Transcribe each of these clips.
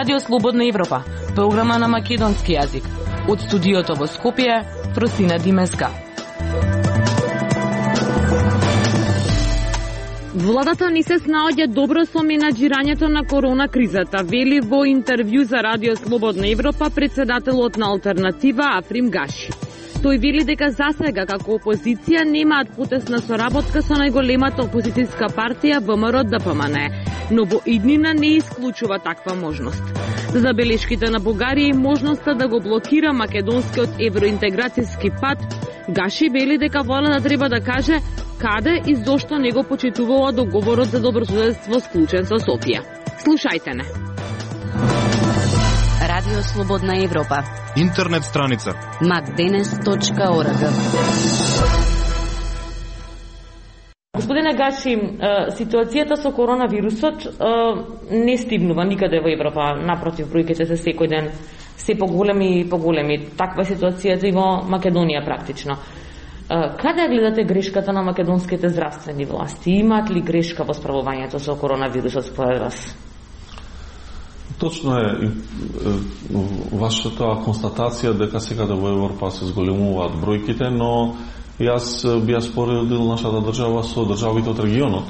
Радио Слободна Европа, програма на македонски јазик. Од студиото во Скопје, Фросина Димеска. Владата не се снаоѓа добро со менаџирањето на корона кризата, вели во интервју за Радио Слободна Европа председателот на Алтернатива Африм Гаши. Тој вели дека засега како опозиција немаат потесна соработка со најголемата опозицијска партија ВМРО ДПМН, но во иднина не исклучува таква можност. За забелешките на Бугарија и можноста да го блокира македонскиот евроинтеграцијски пат, Гаши вели дека владата треба да каже каде и зошто не го почитувала договорот за добрососедство склучен со Софија. Слушајте не. Радио Слободна Европа. Интернет страница macdenes.org. Господине Гаши, ситуацијата со коронавирусот не стигнува никаде во Европа. Напротив, бројките се секој ден се поголеми и поголеми. Таква ситуацијата и во Македонија практично. Каде гледате грешката на македонските здравствени власти? Имаат ли грешка во справувањето со коронавирусот според вас? Точно е вашата констатација дека секаде во Европа се зголемуваат бројките, но јас би ја споредил нашата држава со државите од регионот.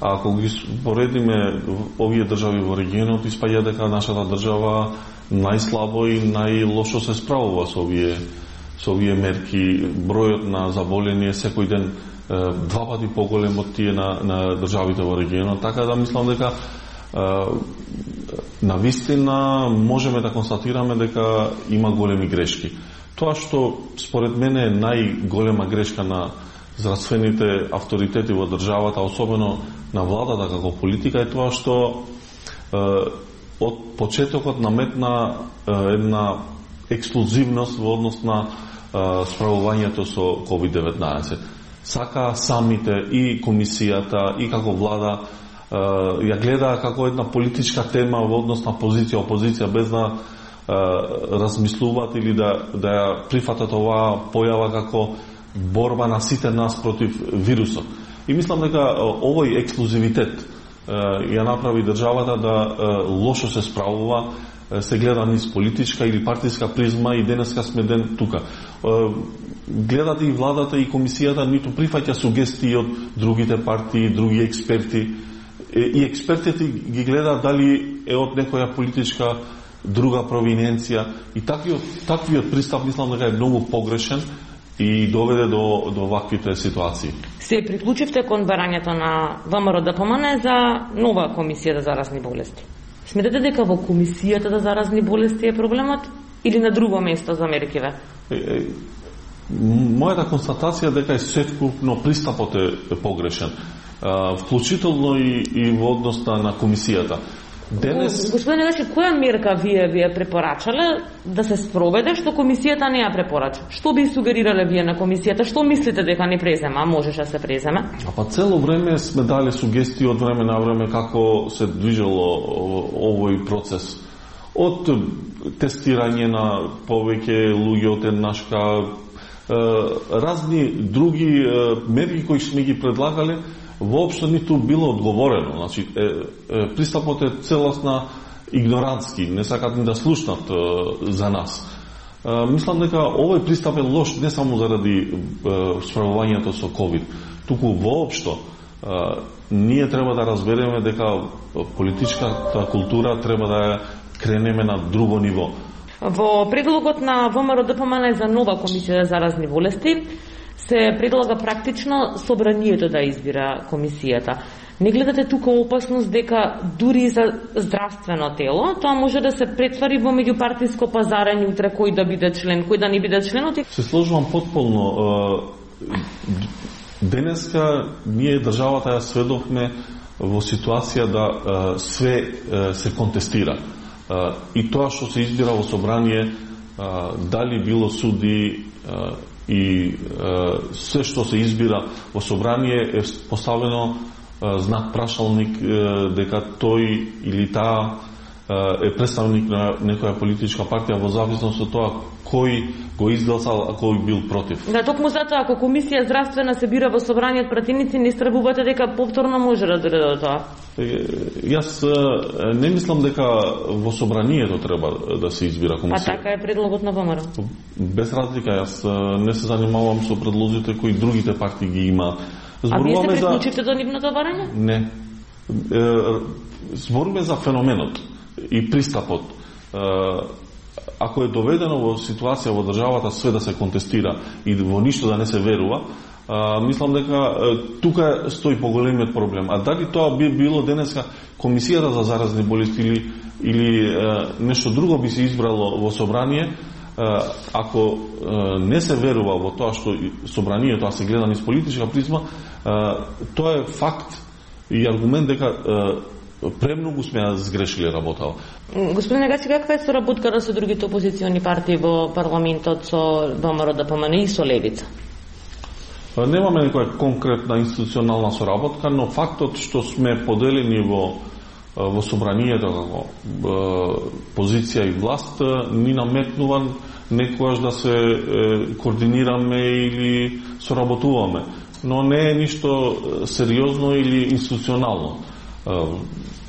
А ако ги поредиме овие држави во регионот, испаѓа дека нашата држава најслабо и најлошо се справува со овие мерки. Бројот на заболени е секој ден 2 пати поголем од тие на државите во регионот, така да мислам дека на вистина можеме да констатираме дека има големи грешки. Тоа што според мене е најголема грешка на здравствените авторитети во државата, особено на владата како политика, е тоа што од почетокот наметна една ексклузивност во однос на справувањето со COVID-19. Сака самите и комисијата и како влада ја гледа како една политичка тема во однос на позиција опозиција, без да размислуваат или да ја прифатат оваа појава како борба на сите нас против вирусот. И мислам дека овој ексклузивитет ја направи државата да лошо се справува, се гледа низ политичка или партиска призма и денеска сме ден тука. Гледате и владата и комисијата ниту прифаќа сугестии од другите партии, други експерти, и експертите ги гледаат дали е од некоја политичка друга провиненција, и таквиот пристап мислам дека е многу погрешен и доведе до ваквите ситуации. Се приклучивте кон барањето на ВМРО ДПМН за нова комисија за заразни болести. Сметате дека во комисијата за заразни болести е проблемот или на друго место за меркиве? Мојата констатација дека е севкупно пристапот е погрешен, вклучително и во однос на комисијата. Господине Гаши, која мерка вие препорачале да се спроведе што комисијата не ја препорача? Што би сугерирале вие на комисијата? Што мислите дека не презема, а можеше да се преземе? Цело време сме дали сугестии од време на време како се движело овој процес. Од тестирање на повеќе луѓе од еднашка, разни други мерки кои сме ги предлагале, воопшто ниту било одговорено. Значи, пристапот е целосна игнорантски, не сакат ни да слушнат за нас. Мислам дека овој пристап е лош не само заради справувањето со COVID, туку воопшто ние треба да разбереме дека политичката култура треба да ја кренеме на друго ниво. Во предлогот на ВМРО ДПМН за нова комисија за заразни болести се предлага практично собранието да избира комисијата. Не гледате тука опасност дека дури за здравствено тело тоа може да се претвари во меѓупартиско пазарење утре кој да биде член, кој да не биде член? Се сложувам потполно. Денеска ние државата ја сведохме во ситуација да све се контестира. И тоа што се избира во собрание, дали било суди и се што се избира во собрание е поставено знак прашалник дека тој или таа е представник на некоја политичка партија во зависност од тоа кој го изгласал, а кој бил против. Да, токму затоа ако комисија здравствена се бира во собрание од пратеници, не истребувате дека повторно може да дојде до тоа? Јас не мислам дека во собранието треба да се избира комисија. А така е предлогот на ВМРО? Без разлика, јас не се занимавам со предлозите кои другите партии ги има. А вие се приклучите до нивното барање? Не. Збориме за феноменот и пристапот. Ако е доведено во ситуација во државата све да се контестира и во ништо да не се верува, мислам дека тука стои поголемиот проблем. А дали тоа би било денеска комисијата за заразни болести или нешто друго би се избрало во собрание, ако не се верува во тоа што собранието, а се гледа низ политичка призма, тоа е факт и аргумент дека премногу сме сгрешили работава. Господине Гачи, каква е соработката со другите опозициони партии во парламентот, со ВМРО ДПМН и со Левица? Немаме некоја конкретна институционална соработка, но фактот што сме поделени во собранието како позиција и власт ни наметнува некојаш да се координираме или соработуваме, но не е ништо сериозно или институционално.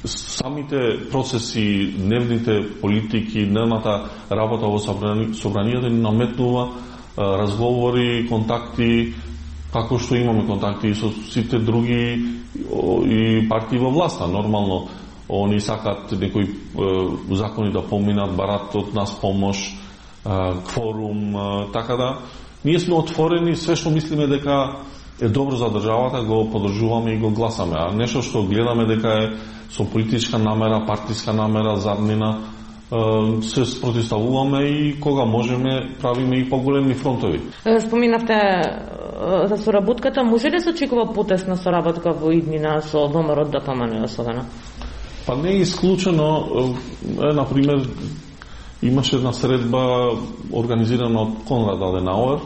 Самите процеси, дневните политики, дневната работа во собранието ни наметнува разговори, контакти, како што имаме контакти и со сите други и партии во власта. Нормално, они сакат некои закони да поминат, барат од нас помош, кворум, така да ние сме отворени, све што мислиме дека е добро за државата, го поддржуваме и го гласаме. А нешто што гледаме дека е со политичка намера, партиска намера, заднина, се спротивставуваме и кога можеме правиме и поголеми фронтови. Споминавте за соработката, може ли се очекува потесна соработка во иднина со ВМРО ДПМН особено? Па не е исклучено, например, имаше една средба организирана од Конрад Аденауер,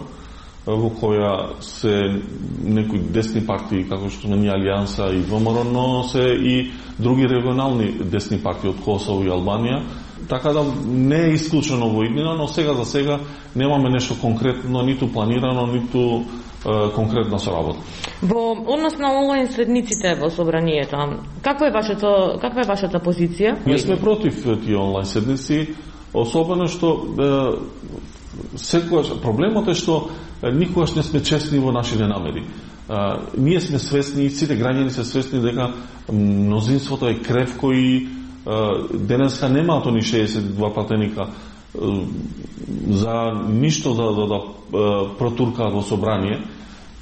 во која се некои десни партии, како што сме ние Алијанса и ВМРО, но се и други регионални десни партии од Косово и Албанија. Така да не е исклучено во иднина, но сега за сега немаме нешто конкретно, ниту планирано, ниту конкретна соработа. Во однос на онлайн седниците во собранието, каква е вашата позиција? Ние сме против тие онлайн седници, особено што секогаш проблемот е што никогаш не сме честни во нашите намери. Ние сме свесни, сите граѓани се свесни дека мнозинството е кревко и денеска немаат они 62 пратеника за ништо да протуркаат во собрание.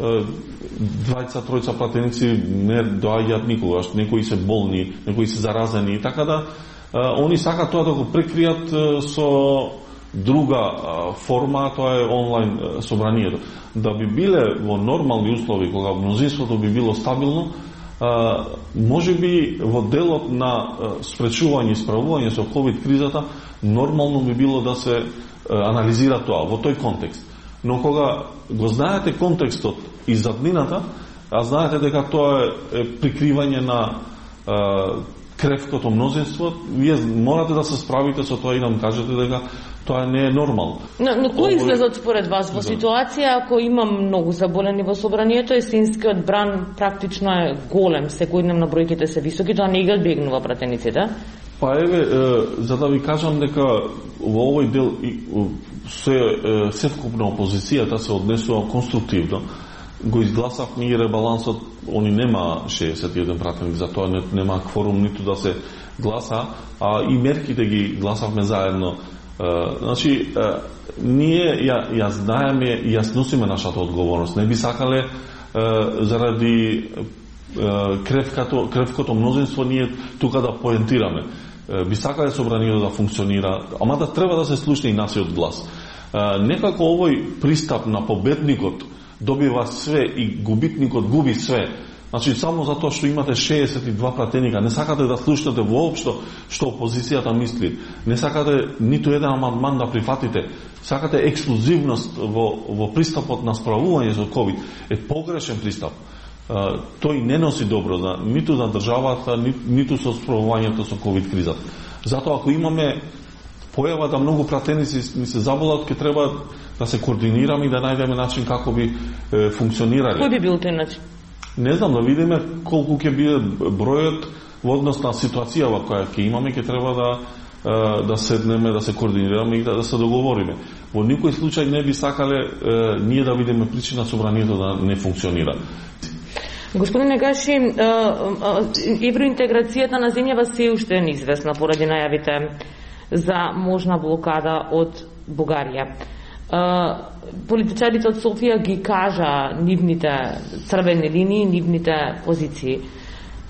Двајца-тројца пратеници не доаѓаат никогаш, некои се болни, некои се заразени, така да они сакаат тоа да го прекријат со друга форма, тоа е онлайн собранието. Да би биле во нормални услови, кога мнозинството би било стабилно, може би во делот на спречување и справување со ковид кризата, нормално би било да се анализира тоа во тој контекст. Но кога го знаете контекстот и заднината, а знаете дека тоа е прикривање на кревкото мнозинство, вие морате да се справите со тоа и да кажете дека тоа не е нормално. Но кој излезот според вас во ситуација ако има многу заболени во собранието, есенскиот бран практично е голем, секојдневно бројките се високи, тоа не ги одбегнува пратениците? Па еве, за да ви кажам дека во овој дел севкупна опозицијата се однесува конструктивно. Го изгласавме и ребалансот, они нема 61 пратеник, за тоа нема кворум ниту да се гласа, а и мерките ги гласавме заедно. Значи, ние ја знаеме и ја носиме нашата одговорност. Не би сакале заради кревкото мнозинство ние тука да поентираме. Би сакале собранието да функционира, ама да треба да се слушне и насиот глас. Некако овој пристап на победникот добива све и губитникот губи све. Значи, само затоа што имате 62 пратеника, не сакате да слушнете воопшто што опозицијата мисли, не сакате ниту еден амандман да прифатите, сакате ексклузивност во пристапот на справување со ковид, е погрешен пристап. Тој не носи добро ниту за државата, ниту со справувањето со ковид кризата. Затоа ако имаме појава да многу пратеници ни се заболат, ќе треба да се координираме и да најдеме начин како би функционирале. Кој би бил тој начин? Не знам, да видиме колку ќе биде бројот во однос на ситуацијава која ќе имаме, ќе треба да седнеме, да се координираме и да се договориме. Во никој случај не би сакале ние да видиме причина собранието да не функционира. Господине Гаши, евроинтеграцијата на земјава се уште е неизвестна поради најавите за можна блокада од Бугарија. Политичарите од Софија ги кажа нивните црвени линии, нивните позиции.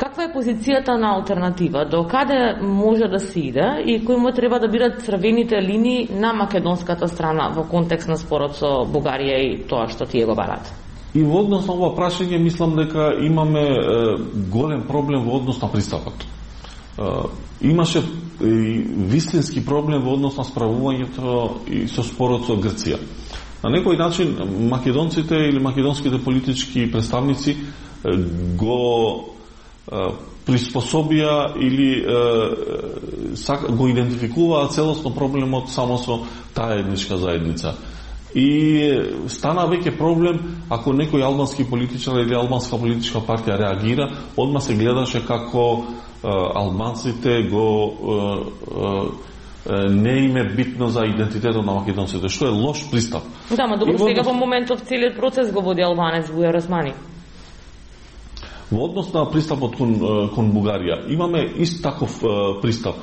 Каква е позицијата на алтернатива? До каде може да се иде и кои му треба да бидат црвените линии на македонската страна во контекст на спорот со Бугарија и тоа што тие го барат? И во однос на ова прашање мислам дека имаме голем проблем во однос на пристапот. Имаше вистински проблем во однос на справувањето и со спорот со Грција. На некој начин македонците или македонските политички представници го приспособија или го идентификуваат целосно проблемот само со таа етничка заедница. И стана веќе проблем ако некој албански политичар или албанска политичка партија реагира, одма се гледаше како албанците не им е битно за идентитетот на македонците, што е лош пристап. Да, ма добро, сега во моментов целиот процес го води албанец Бујар Османи. Во однос на пристапот кон Бугарија, имаме ист таков пристап.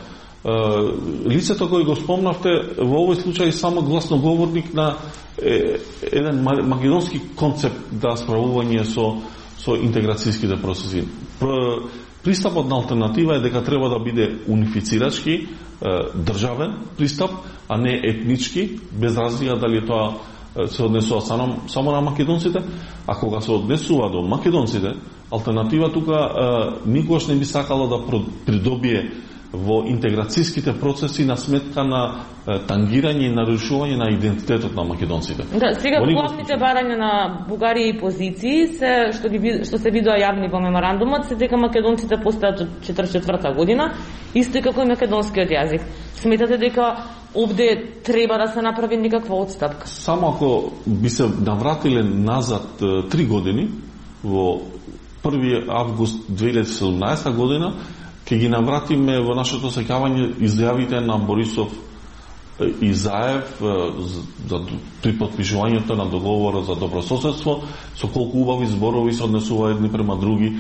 Лицето кој го спомнавте, во овој случај само гласноговорник на еден македонски концепт да справување со интеграцијските процеси. Пристапот на алтернатива е дека треба да биде унифицирачки, државен пристап, а не етнички, без разлика дали тоа се однесува само на македонците, а кога се однесува до македонците, алтернатива тука никогаш не би сакала да придобие во интеграцијските процеси на сметка на тангирање и нарушување на идентитетот на македонците. Да, сега главните барања на Бугарија и позиции се што се видоа јавни во меморандумот се дека македонците постојат од 44-та година, исто како и македонскиот јазик. Сметате дека овде треба да се направи некаква отстапка? Само ако би се навратиле назад 3 години во 1 август 2017 година, ќе ги навратиме во нашето сеќавање изјавите на Борисов и Заев при потпишувањето на договорот за добрососедство, со колку убави зборови се однесува едни према други.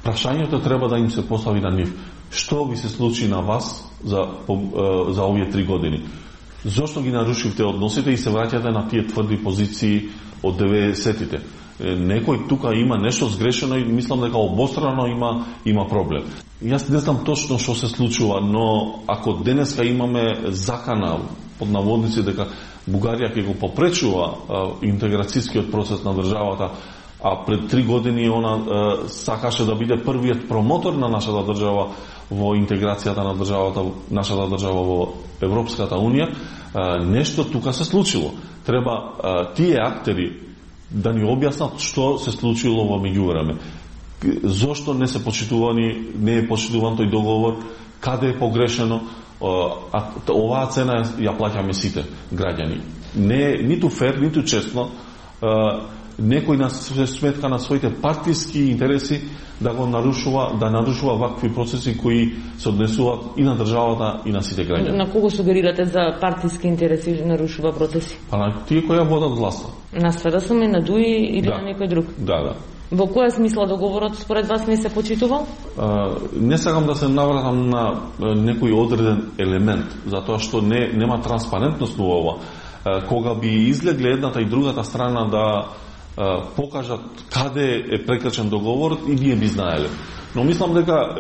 Прашањето треба да им се постави на нив. Што ви се случи на вас за овие 3 години? Зошто ги нарушивте односите и се враќате на тие тврди позиции од 90-тите? Некој тука има нешто сгрешено и мислам дека обострано има проблем. Јас не знам точно што се случува, но ако денеска имаме закана под наводници дека Бугарија ќе го попречува интеграцијскиот процес на државата, а пред 3 години она сакаше да биде првиот промотор на нашата држава во интеграцијата на нашата држава во Европската Унија, нешто тука се случило. Треба тие актери да ни објаснат што се случило во меѓувреме. Зошто не е почитуван тој договор, каде е погрешено, а оваа цена ја плаќаме сите граѓани. Не е ниту фер, ниту честно некој на сметка на своите партиски интереси да нарушува вакви процеси кои се однесуваат и на државата и на сите граѓани. На кого сугерирате за партиски интереси нарушува процеси? А на тие кои ја водат власта. На СДСМ, на ДУИ или на некој друг? Да. Во која смисла договорот според вас не се почитувал? Не сакам да се навратам на некој одреден елемент, затоа што нема транспарентност во ова. Кога би излегле едната и другата страна да покажат каде е прекрачен договорот и ние би знаеле. Но мислам дека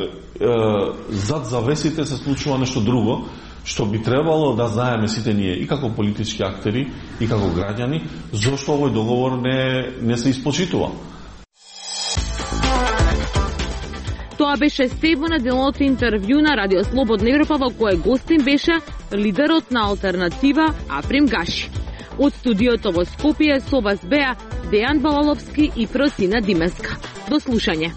зад завесите се случува нешто друго, што би требало да знаеме сите ние и како политички актери и како граѓани, зошто овој договор не се испочитува. Тоа беше Стево на делното интервју на Радио Слободна Европа, во кое гостин беше лидерот на алтернатива Африм Гаши. Од студиото во Скопје со вас беа Дејан Балаловски и Фросина Димеска. До слушање.